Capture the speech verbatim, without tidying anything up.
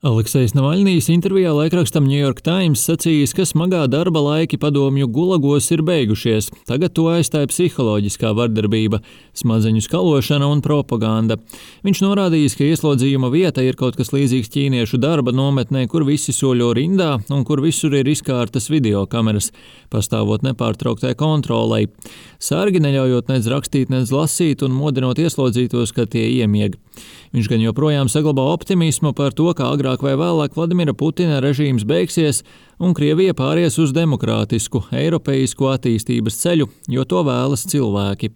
Aleksejs Navaļnijs intervijā laikrakstam New York Times sacījis, ka smagā darba laiki padomju gulagos ir beigušies. Tagad to aizstāja psiholoģiskā vardarbība, smadzeņu skalošana un propaganda. Viņš norādījis, ka ieslodzījuma vieta ir kaut kas līdzīgs ķīniešu darba nometnē, kur visi soļo rindā un kur visur ir izkārtas videokameras, pastāvot nepārtrauktai kontrolei. Sargi neļaujot nedz rakstīt, nedz lasīt un modinot ieslodzītos, ka tie iemieg. Viņš gan joprojām saglabā optimismu par to, ka agrāk vai vēlāk Vladimira Putina režīms beigsies un Krievija pāries uz demokrātisku, eiropeisku attīstības ceļu, jo to vēlas cilvēki.